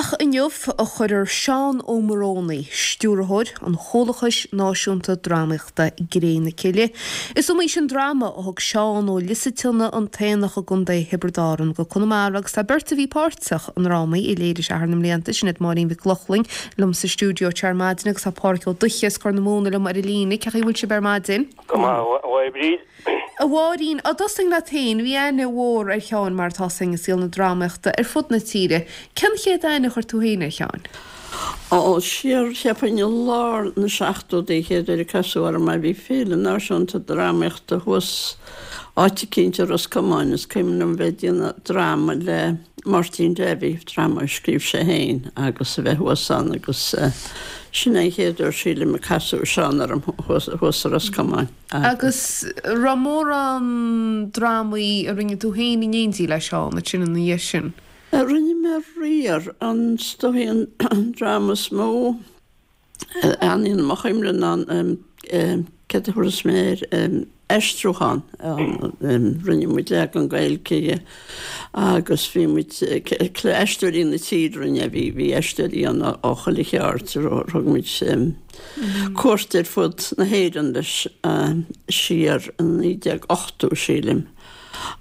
Ach inniu a chuirfear Seán Ó Morónaí, stiúrthóir an Chomhlachais Náisiúnta Drámaíochta, i gCré na Cille. Is iomaí sin dráma a thug Seán ó Lios an tSionna an tAonach i gContae Thiobraid Árann go Conamara agus tá beirt a bhí páirteach i ndrámaí a léirigh sé thar na mblianta, sin iad Máirín Mhic Lochlainn liom sa stiúideo anseo ar maidin agus tá Pádhraic Ó Dubhthaigh as Corr na Móna liom ar an líne. Cén chaoi a bhfuil sibh ar maidin? Go maith, a Mháire Bríd. A Mháirín, dá dtosóinn leat féin, bhí aithne mhór ar Sheán mar atá 's againn i saol na drámaíochta ar fud na tíre. Cén chéad aithne a chuir tú féin ar Sheán? Ó, siar, cheapfainn i lár na seachtóidí an chéad uair a casadh orm é. Bhí Féile Náisiúnta Drámaíochta thuas áit eicínt i Ros Comáin. Is cuimhin liom bheith ag déanamh dráma le Máirtín Davy, dráma a scríobh sé féin, agus a bheith thuas ann agus sin é an chéad uair sílim a casadh Seán orm thuas i Ros Comáin. Agus raibh mórán drámaí a rinne tú féin in éindí le Seán ansin ina dhiaidh sin? Rinne mé riar. An is dóichí an dráma is mó a fhanann i mo chuimhne ná an, céard a thabharfas mé air, aistriúchán. Rinne muid leagan Gaeilge dhe agus bhí muid, aisteoirí na tíre a rinne é, bhí aisteoirí ann ó chuile cheard, thug muid cuairt ar fud na hÉireann leis siar i 1980, sílim.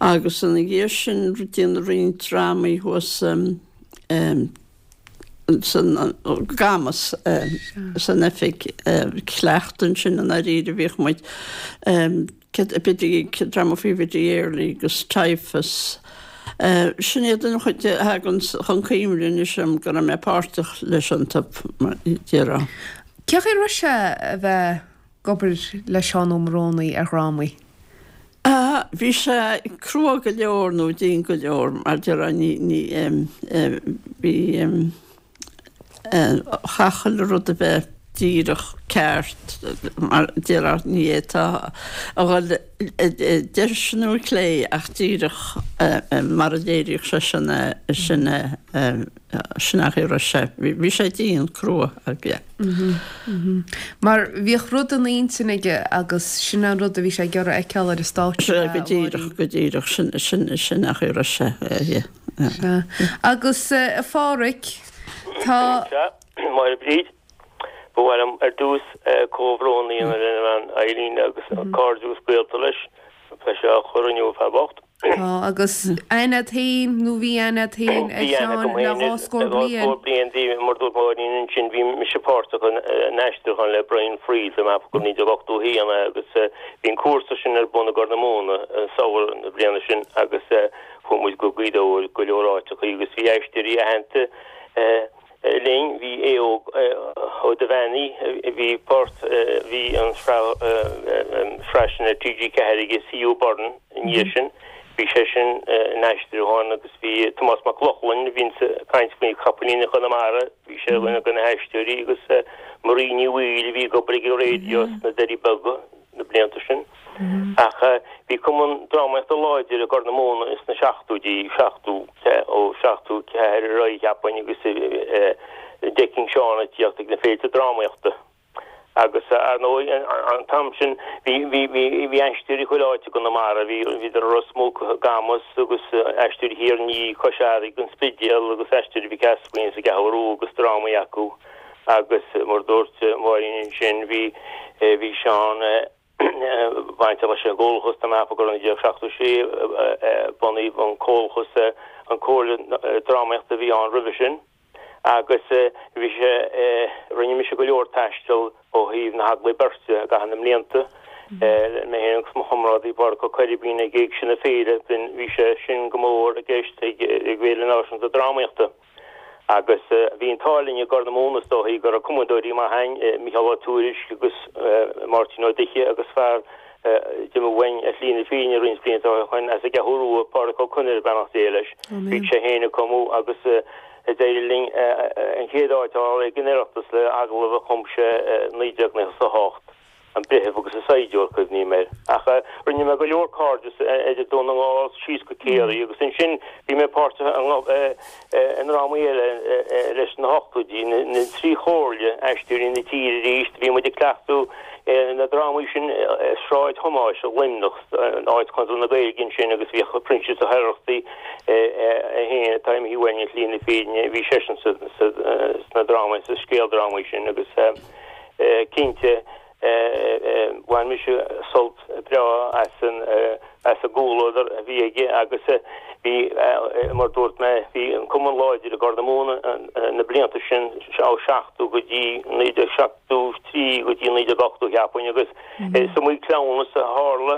Agus ina dhiaidh sin déanadh roinnt drámaí thuas san Camas, san oifig cleachta ansin i ndáiríre bhíodh muid, dráma faoi Bhiddy Early agus Typhus. Sin iad an chuid a thagann chun cuimhne anois dom go raibh mé páirteach leis iontu, mar a déarfá. Cén chaoi a raibh sé a bheith ag obair le Seán Ó Morónaí ar dhrámaí? Bhí sé crua go leor nó dian go leor, mar a déarfá, ní, ní, bhí, chaithfeadh chuile rud a bheith díreach ceart, mar a déarfá, ní fhéadfá a dhul deis nó clé ach díreach mar a léiríodh seisean é, sin é, sin é an chaoi a raibh sé. Bhí sé dian, crua, yeah. Mar bhíodh rud ina intinn aige agus sin an rud a bhí sé ag iarraidh a fheiceáil ar an stáitse. Sea, go díreach, go díreach, sin, sin, sin an chaoi a raibh sé, yeah. Sea. Agus a Phádhraic, tá. Sea, Máire Bríd, ba mhaith liom ar dtús comhbhrón a dhéanamh lena bhean Eileen agus cairde agus gaolta leis. Tá sé á chur inniu, fear bocht. Tá, agus aithne agat féin, nó bhí aithne agat féin ar Bhí aithne Sheán agam le féin dhá air scór le dhá bliain. scór bliain. Bhí, mar dúirt Máirín ansin, bhí mise páirteach in aistriúchán le Brian Friel, tá mé ag ceapadh gur 1981 é, agus bhí an cúrsa sin ar bun i gCorr na Móna an samhradh na bliana sin agus chuaigh muid go Gaoth Dobhair, go leor áiteachaí agus bhí aisteoirí aitheanta linn, bhí Aodh Ó Duibheannaigh, bhí páirt, bhí an tsraith sin ar TG4 aige, C.U. Byrne, ina dhiaidh sin, bhí seisean in aistriúchán agus bhí Tomás Mac Lochlainn, a bhíonns ag caint faoi Chapaillíní Chonamara, bhí sé ar dhuine de na haisteoirí agus Marie Ní Bhaoill a bhí ag obair ag an raidió sna Doirí Beaga na blianta sin. Ach bhí cumann drámaíochta láidir i gCorr na Móna ins na seachtóidí, 70, ó 74 ar aghaidh cheapfainn agus d'fheicfinn Seán ag tíocht ag na féilte drámaíochta. Agus ar ndóigh an t-am sin bhí, bhí, bhí, bhí aisteoirí chuile áit i gConamara, bhí, bhíodar i Ros Muc, i gCamas agus aisteoirí Thír an Fhia, Cois Fharraige, an Spidéal agus aisteoirí Mhic Easmuinn sa gCeathrú Rua agus drámaí acu. Agus mar a dúirt Máirín ansin, bhí, bhí Seán bainteach leis an gComhlachas, tá mé ag ceapadh gur i 1976 a bunaíodh an Comhlachas, an Comhairle Drámaíochta a bhí ann roimhe sin. Agus bhí sé, rinne mise go leor taistil ó thaobh na heaglaí beirte i gcaitheamh na mblianta, mé féin agus mo chomrádaí Pádraic Ó Coirbín ag Éigse na Féile, bhí sé sin go mór i gceist ag Féile Náisiúnta Drámaíochta. Agus bhí an t-ádh linn i gCorr na Móna is dóichí go raibh cumadóirí maith a'inn, Mícheál Ó Tuairisg agus Máirtín Ó Duibhche agus fear a d'imigh uainn ar shlí na fírinne roinnt blianta ó shoin as an gCeathrú Rua, Pádraic Ó Conaire, beannacht Dé leis. Bhíodh sé féin ag cumadh agus d'éirigh linn an chéad áit a fháil ag an Oireachtas le agallamh a chum sé i 1998. An Breitheamh agus an Saighdiúir, cuimhním air. Ach rinne mé go leor cairdeas idir Dún na nGall síos go Ciarraí agus ansin bhí mé páirteach i ndrámaí eile leis sna hochtóidí, na Trí Chomhairle, Aisteoirí na Tíre arís, bhí muid ag cleachtadh na drámaí sin i Sráid Thomáis i Luimneach, áit Chonradh na Gaeilge ansin agus bhíodh Proinsias Ó hOireachtaigh é féin atá imithe uainn ar shlí na fírinne, bhí seisean sna drámaí, sa scéaldrámaí sin agus. Cinnte, bhain mise sult breá as an as an gcomhluadar a bhí aige agus bhí, mar dúirt mé, bhí an cumann láidir i gCorr na Móna na blianta sin, ó 70 go dtí 1973 go dtí 1980 cheapfainn agus is iomaí cleamhnas a tharla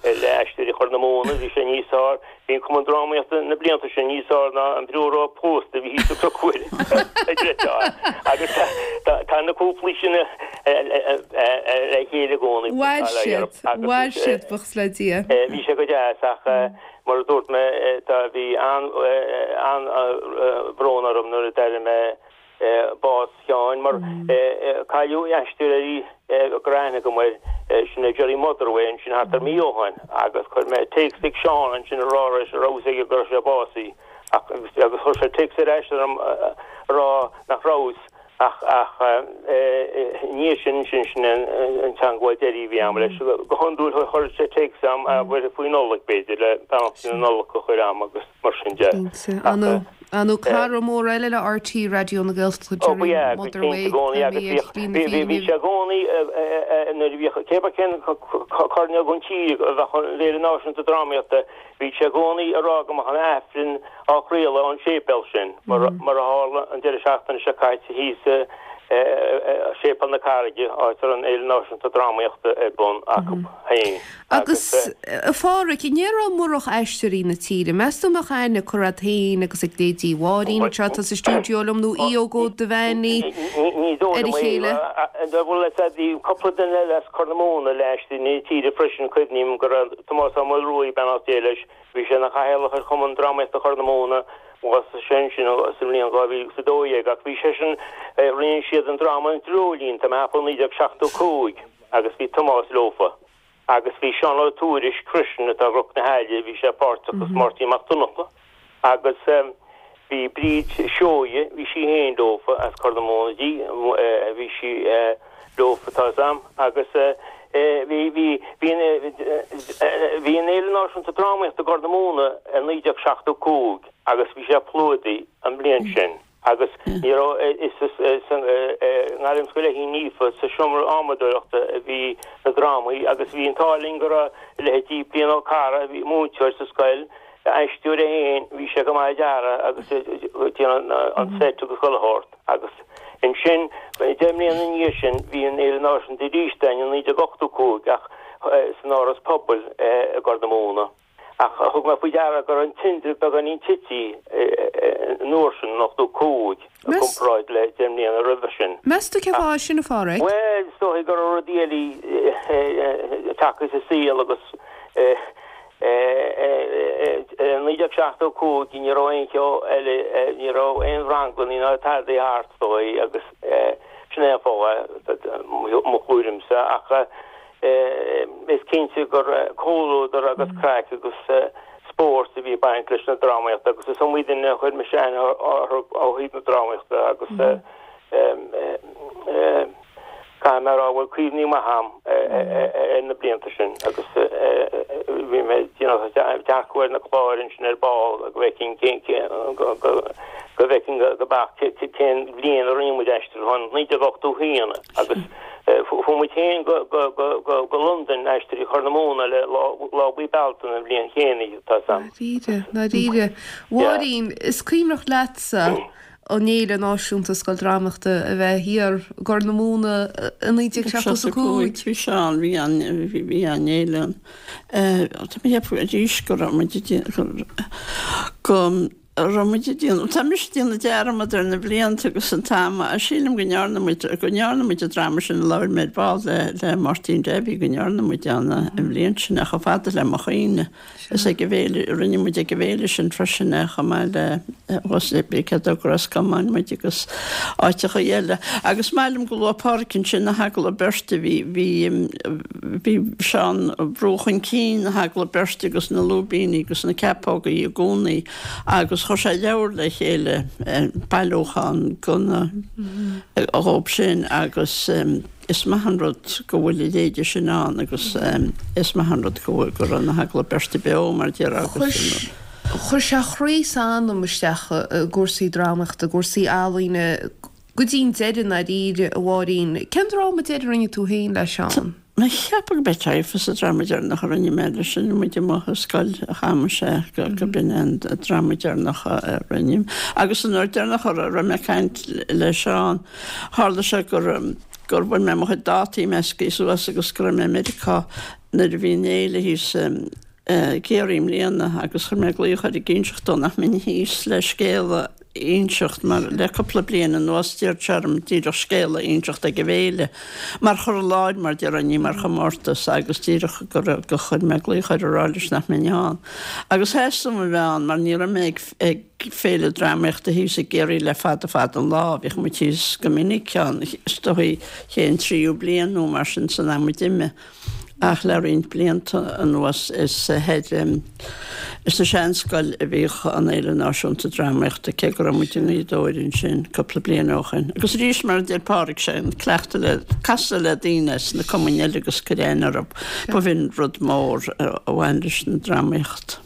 le Aisteoirí Chorr na Móna, bhí sé níos fearr, bhí an Cumann Drámaíochta na blianta sin níos fearr ná an biúró post a bhí thíos sa Chnoc Mhuire, a deirtear. Agus tá na cúplaí sin le chéile i gcónaí. Mhair siad, mhair siad, buíochas le Dia. Bhí sé go deas ach mar a dúirt mé, tá, bhí an-bhrón orm nuair a d'airigh mé bás Sheáin mar cailleadh aisteoir eile go raibh aithne agam air, sin é Gerry Motherway ansin thart ar mí ó shoin agus chuir mé téacs chuig Seán ansin a rá leis an raibh fhios aige go raibh sé básaithe ach agus chuir sé téacs ar ais orm a rá nach raibh fhios ach ach i ndiaidh sin sin sin an teangmháil deiridh a bhí a'm leis. Go hiondúil chuir sé téacs a'm faoi Nollaig b'fhéidir le beannacht na Nollag a chur a'm agus mar sin de. Cinnte. Ar ndóigh cara mór eile le RTÉ Raidió na Gaeltachta, Ó ba Gerry ea, go cinnte Motherway, i gcónaí tá agus mé ar bhíodh, shlí na bhí, bhí, bhí fírinne. sé i gcónaí nuair a bhíodh, cé bith cén coirnéal den tír a bheadh an Fhéile Náisiúnta Drámaíochta, bhí sé i gcónaí ag rá go mbeadh an Aifreann á chraoladh ón séipéal sin, mar, mar a tharla an deireadh seachtaine seo caite thíos i Séipéal na Carraige, áit a raibh an Fhéile Náisiúnta Drámaíochta ar bun acu féin. Agus, a Pháraic, an ndéarfá murach Aisteoirí na Tíre, meas tú an mbeadh aithne curtha agat féin agus ag leithéidí Mháirín anseo atá sa stiúideo liom nó Aodh Óg Ó Duibheannaigh Ní dóigh ar a liom é. chéile? Bhuel, bhí cúpla duine eile as Corr na Móna le Aisteoirí na Tíre freisin, cuimhním go raibh Tomás Ó Maolruaidh, beannacht Dé leis, bhí sé ina chathaoirleach ar Chumann Drámaíochta Chorr na Móna, bhásaigh sé ansin sa mbliain 2012, ach bhí seisean, rinne siad an dráma An Dreoilín, tá mé a cheapadh, 1975 agus bhí Tomás leofa. Agus bhí Seán Ó Tuairisg freisin, atá i gCnoc na hAille, bhí sé páirteach agus Máirtín Mac Donncha. Agus bhí Bríd Seoighe, bhí sí féin leofa, as Corr na Móna di, bhí sí leofa, tá 'fhios a'm. Agus bhí, bhí, bhí an, bhí an Fhéile Náisiúnta Drámaíochta i gCorr na Móna i 1975 agus bhí sé plódaithe an bhliain sin. Agus ní raibh, is sa nGairmscoil Fheichín Naofa, sa seomra adhmadóireachta a bhí na drámaí agus bhí an t-ádh linn go raibh leithéidí Brian Ó Carra, a bhí múinteoir sa scoil, aisteoir é féin, bhí sé go maith ag dearadh agus ag déanamh an seit agus chuile shórt. Agus ansin, 10 mbliana ina dhiaidh sin, bhí an Fhéile Náisiúnta arís againn i 1985 ach san Áras Pobail i gCorr na Móna. Ach thug mé faoi deara go raibh an tindeamh beagáinín tite an uair sin, in 85, i gcomparáid le 10 mbliana roimhe sin. Meas tú cén fáth é sin, a Pháraic? Bhuel, is dóigh go raibh rudaí eile tagtha sa saol agus i 1975 ní raibh aon cheo eile, ní raibh aon ranglannaí ná tada thart, is dóigh, agus sin é an fáth, mo thuairimse. Ach Is cinnte gur comhluadar agus craic agus spórt a bhí ag baint leis na drámaíochta agus is iomaí duine a chuir mise aithne orthu ó thaobh na drámaíochta agus caithfidh mé a rá go bhfuil cuimhní maithe agam ar na blianta sin agus bhí mé ag déanamh dearcadh ar na cláir ansin ar ball go bhfeicfinn cén go bhfeicfinn go beacht cén bhliain a rinne muid aistriúchán 1981 agus Chuaigh muid féin go Londain, Aisteoirí Chorr na Móna le Lá Buí Bealtaine an bhliain chéanna, tá 'fhios a'm. Dáiríre, dáiríre. Mháirín, is cuimhneach leatsa an Fhéile Náisiúnta Scoildrámaíochta a bheith thiar i gCorr na Móna i 1975. Bhí sé ann, bhí an, bhí an fhéile ann. Tá mé ag ceapadh arís go raibh muid ag déanamh, go. raibh muid ag déanamh, tá mise ag déanamh dearmad ar na blianta agus an t-am, sílim go ndearna muid, go ndearna muid an dráma sin a labhair mé ar ball le, le Máirtín Davy, go ndearna muid an, an bhliain sin é chomh fada le mo chuimhne. Is ag an bhféile, rinne muid ag an bhféile sin freisin é chomh maith le, cé go Ros Comáin muid agus áiteacha eile. Agus maith liom go luaigh Pádraic ansin na hagallaimh beirte, bhí, bhí, bhí Seán ag brú chun cinn na hagallaimh beirte agus na lúibíní agus na ceapógaí i gcónaí agus chuir sé leabhar le chéile, bailiúchán de na, dhóibh sin agus is maith an rud go bhfuil a leithéide sin ann agus is maith an rud go bhfuil, go raibh na hagallaimh beirte beo mar déarfá agus. Chuir sé a chroí is a anam isteach i gcúrsaí drámaíochta, i gcúrsaí ealaíne go dtí an deireadh i ndáiríre, a Mháirín. Cén dráma deiridh a rinne tú féin le Seán? Mé ag ceapadh go b'é Typhus an dráma deireanach a rinne mé leis sin muid amuigh i scoil Chamais é go b'in é an dráma deireanach a rinne. Agus an uair deireanach a raibh mé ag caint le Seán, tharla sé gur gur bhain mé mo chuid dátaí meascaí suas agus go raibh mé i Meiriceá nuair a bhí an fhéile thíos i gCiarraí i mbliana agus chuir mé glaoch air ag inseacht dó nach mbeinn thíos le scéal a inseacht mar le cúpla bliain anuas d'iarr sé orm díreach scéal a inseacht ag an bhféile mar chur i láthair mar déarfá ní mar chomórtas agus díreach go raibh go chuir mé glaoch air a rá leis nach mbeinn ann agus theastaigh uaim a bheith ann mar ní raibh mé ag ag féile drámaíochta thíos i gCiarraí le fada fada an lá bhíodh muid thíos go minic ann is dóigh chéad tríú bliain nó mar sin san am a d'imigh. Ach le roinnt blianta anuas is thoir sa Seanscoil a bhíodh an Fhéile Náisiúnta Drámaíochta, cé go raibh muid i nGaoth Dobhair ansin cúpla bliain ó shin. Agus arís, mar a deir Pádraig, sé an cleachtadh le casadh le daoine as na cumainn eile agus cur aithne orthu, b'in rud mór a bhain leis an drámaíocht.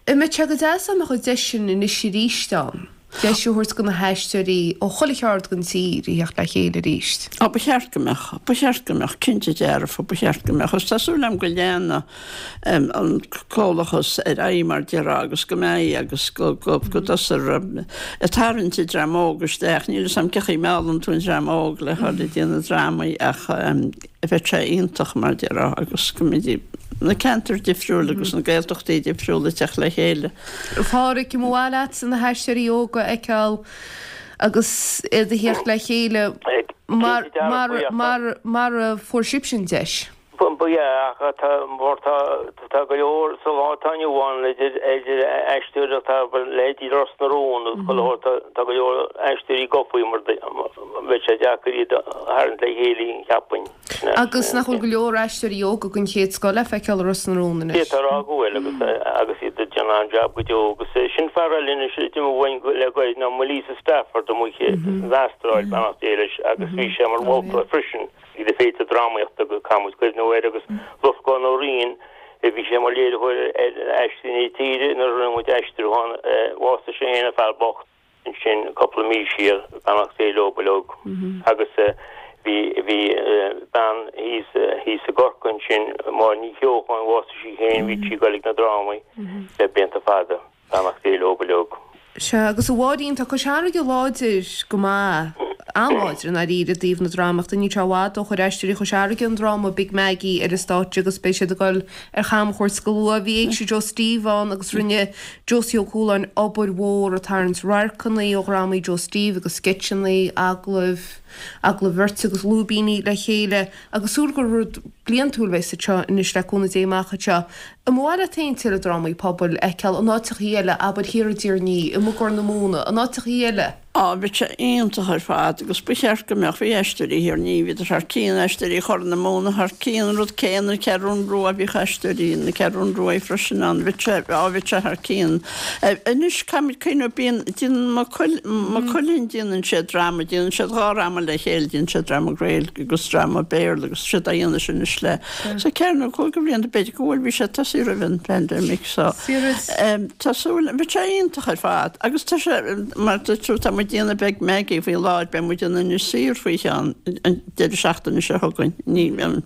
An mbeadh sé go deas dá mbeadh an deis sin anois arís ann, deis a thabhairt do na haisteoirí ó chuile cheard den tír a theacht le chéile arís? Á, ba cheart go mbeadh. Ba cheart go mbeadh, cinnte dearfa, ba cheart go mbeadh. Agus tá súil agam go leanfaidh an comhlachas ar aghaidh mar déarfá agus go mbeidh agus go dtosófar ag tarraingt an dream óg isteach. Níl 'fhios a'm cén chaoi a meallann tú an dream óg le dhul ag déanamh drámaí ach bheadh sé iontach mar déarfá agus go mbeidh na ceantair difriúil agus na Gaeltachtaí difriúla ag teacht le chéile. A Phádhraic, an mba mhaith leat na haisteoirí óga a fheiceáil agus iad a theacht le chéile mar mar mar mar a fuair sibhse an deis? Ba ea, ach tá mar tá tá go leor sa lá atá inniu ann idir idir aisteoirí atá leithéidí Ros na Rún agus chuile shórt tá tá go leor aisteoirí gofaí mar bheadh sé deacair iad a tharraingt le chéile cheapfainn. Agus nach bhfuil go leor aisteoirí óga den chéad scoth le feiceáil i Ros na Rún anois? D'fhéadfá a rá go bhfuil agus agus iad ag déanamh an-jab go deo agus sin fear eile anois a d'imigh uainn le gairid ná Maolíosa Stafford amuigh san Astráil, beannacht Dé leis, agus bhí sé mar mholtóir freisin ag na féilte drámaíochta agus caithfidh muid cuimhniú air agus Lorcán Ó Riain bhí sé mar léiritheoir ar Aisteoirí na Tíre nuair a rinne muid aistriúchán, bhásaigh sé féin an fear bocht. ansin cúpla mí siar, beannacht Dé leo uilig, agus bhí, bhí bean thíos, thíos i gCorcaigh ansin, Máire Ní Cheocháin, bhásaigh sí féin, bhí sí ag goil ag na drámaí le blianta fada, beannacht Dé leo uilig. Sea, agus a Mháirín, tá Cois Fharraige láidir go maith, an-láidir i ndáiríre i dtaobh na drámaíochta. Níl sé i bhfad ó chuir Aisteoirí Chois Fharraige an dráma Big Maggie ar an stáitse agus beidh siad ag dul ar chamchuairt go luath. Bhí Éigse Joe Steve ann agus rinne Josie Ó Cualáin obair mhór ag tarraingt radharcanna ó dhrámaí Joe Steve agus sceitseanna, agallaimh, agallaimh bheirte agus lúibíní le chéile agus súil gur rud bliantúil a bheas anseo anois le cúnamh Dé amach anseo. An mba mhaith leat féin tuilleadh drámaí pobail a fheiceáil in áiteachaí eile, abair thiar i dTír an Fhia, i gCorr na Móna, in áiteachaí eile? Á, bheadh sé iontach ar fad agus ba cheart go mbeadh, bhí Aisteoirí Thír an Fhia, bhíodar thar cionn, Aisteoirí Chorr na Móna thar cionn, an rud céanna, an Cheathrún Rua, bhíodh Aisteoirí na Ceathrún Rua freisin ann, bheadh sé, á, bheadh sé thar cionn. Anois, caithfimid cuimhneamh, bíonn, déanann Maigh Cuilinn, Maigh Cuilinn, déanann siad dráma, déanann siad dhá dhráma le chéile, déanann siad dráma Gaeilge agus dráma Béarla agus tá siad á dhéanamh sin anois le, so ceithre nó cúig de bhlianta, b'fhéidir go bhfuil, bhí sé tosaithe roimh an pandemic so tá súil, bheadh sé iontach ar fad agus tá sé, mar a dúirt tú, tá muid ag déanamh Big Maggie faoi láthair, beidh muid in Inis Oírr faoi cheann an deireadh seachtaine seo chugainn, ní, an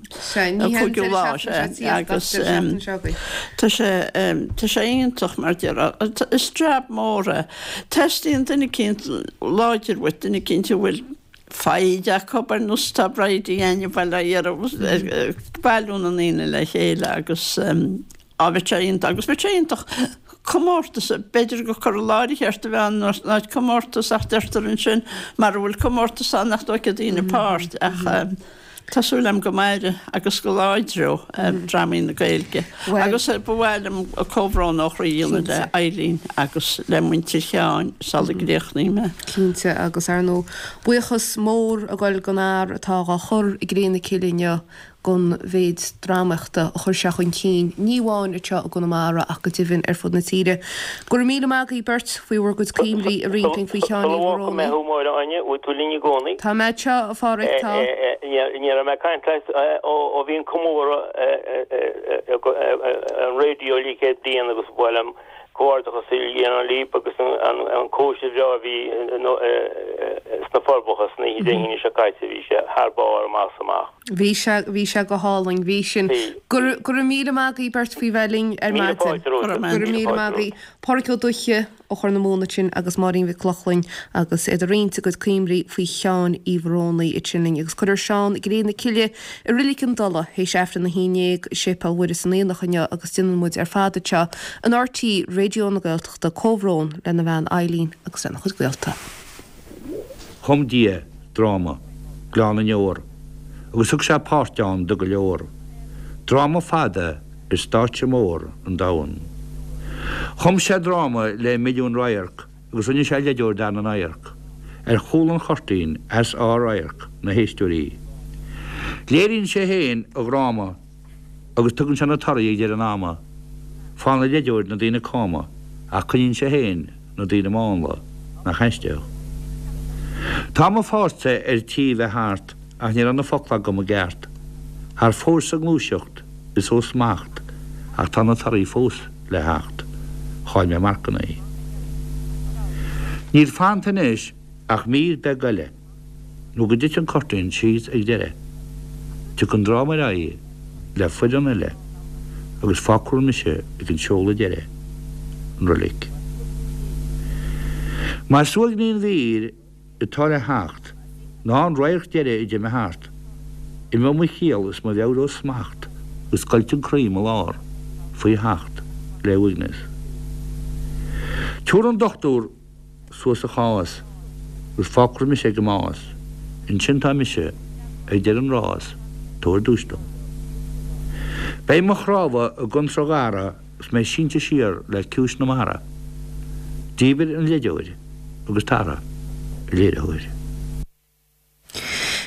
cúigiú lá, sea, agus tá sé, tá sé iontach mar déarfá, is jab mór é. Teastaíonn duine eicínt láidir uait, duine eicínt a bhfuil foighid acu ar nós tá Bridie againne bhuel á iarraidh ag bailiú na ndaoine le chéile agus á bheadh sé iontach agus bheadh sé iontach. Comórtas, b'fhéidir gur cur i láthair cheart a bheith ann in áit comórtas ach deirtear ansin mara bhfuil comórtas ann nach dtógfaidh daoine páirt ach tá súil agam go mairfidh agus go láidreoidh drámaí na Gaeilge. Agus ba mhaith liom comhbhrón ó chroí a dhéanamh le Eileen agus le muintir Sheáin sula gcríochnaím é. Cinnte agus ar ndóigh buíochas mór ag goil don fhear atá dhá chur i gcré na cille inniu gon mhéid drámaíochta a chuir sé chun cinn, ní amháin anseo i gConamara ach go deimhin ar fud na tíre. Go raibh míle maith agaibh beirt faoi bhur gcuid cuimhní a roinnt linn faoi Sheán Uí Sula bhfágfaidh mé Mhorónaí. thú, Máire Áine, bhfuil tú linn i gcónaí? Tá mé anseo, a Pháraic, tá. Ní raibh mé ag caint leat ó bhí an comóradh ar an raidió le 100 bliain agus ba mhaith liom Comhghairdeachas a dhéanamh libh agus an cóisir bhreá a bhí sna Forbacha san oíche Dé hAoine seo caite, bhí sé thar barr amach is amach. Bhí sé, bhí sé go hálainn, bhí sin. Go raibh, go raibh míle maith agaibh beirt faoi bheith linn ar Míle maidin. fáilte romhat. Go raibh míle maith agaibh. Páraic Ó Dubhthaigh ó Chorr na Móna ansin agus Máirín Mhic Lochlainn agus iad ag roinnt a gcuid cuimhní faoi Sheán Uí Mhorónaí ansin linn agus cuirfear Seán i gcré na cille I Reilig an Dola, théis Aifreann 11 i Séipéal Mhuire san Aonach inniu agus déanann muid ar fad anseo in RTÉ Raidió na Gaeltachta comhbhrón lena bhean Eileen agus lena chuid gaolta. Chum Dia dráma, Gleann na nDeor, agus thug sé páirt ann do go leor. Dráma fada ar stáitse mór an domhain. Chum sé dráma le milliún radharc Agus rinne sé leideoir d'fhear na n-adharc, ar chúl an chuirtín as ár radharc na héisteoirí. Léiríonn sé féin a dhráma agus tugann sé na torthaí ag deireadh an ama. Faigheann an leideoir na daoine cama ach coinníonn sé féin na daoine mánla, nach aisteach. Tá mo pháirtse ar tí bheith thart ach ní raibh na focla agam i gceart. Thar fóir sa ngluaiseacht is ó smacht ach tá na torthaí fós. le theacht. Chaill mé marcanna. Níl fanta anois ach mír beag eile nó go dtiteann an cuirtín síos ag deireadh. Tiocfaidh an dráma ar aghaidh le foireann eile agus fágfar mise ag an seoladh deiridh, an roilig. Mar is uaigní an mhír atá le theacht ná an radharc deiridh a d'imigh thart. Imeoidh mo chiall is mo mheabhair ó smacht agus scoilt an croí i mo lár faoi theacht le uaigneas. Tabharfaidh an dochtúir suas a chás agus fágfar mise ag an mbás, ansin tá mise ag deireadh an rás, tabhair duais dom. Beidh mo chnámha i gcontráth gharra 's mé sínte siar le ciumhais na mara. Díbir an leideoir agus tar, a léiritheoir.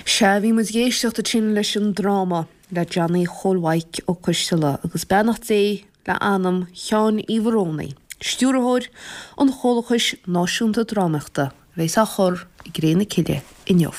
Sea, bhí muid ag éisteacht ansin leis an dráma le Johnny Chóil Mhaidhc Ó Coisteala agus beannacht Dé le anam Sheáin Uí Mhorónaí, stiúrthóir an Chomhlachais Náisiúnta Drámaíochta, a bheas á chur i gcré na cille inniu.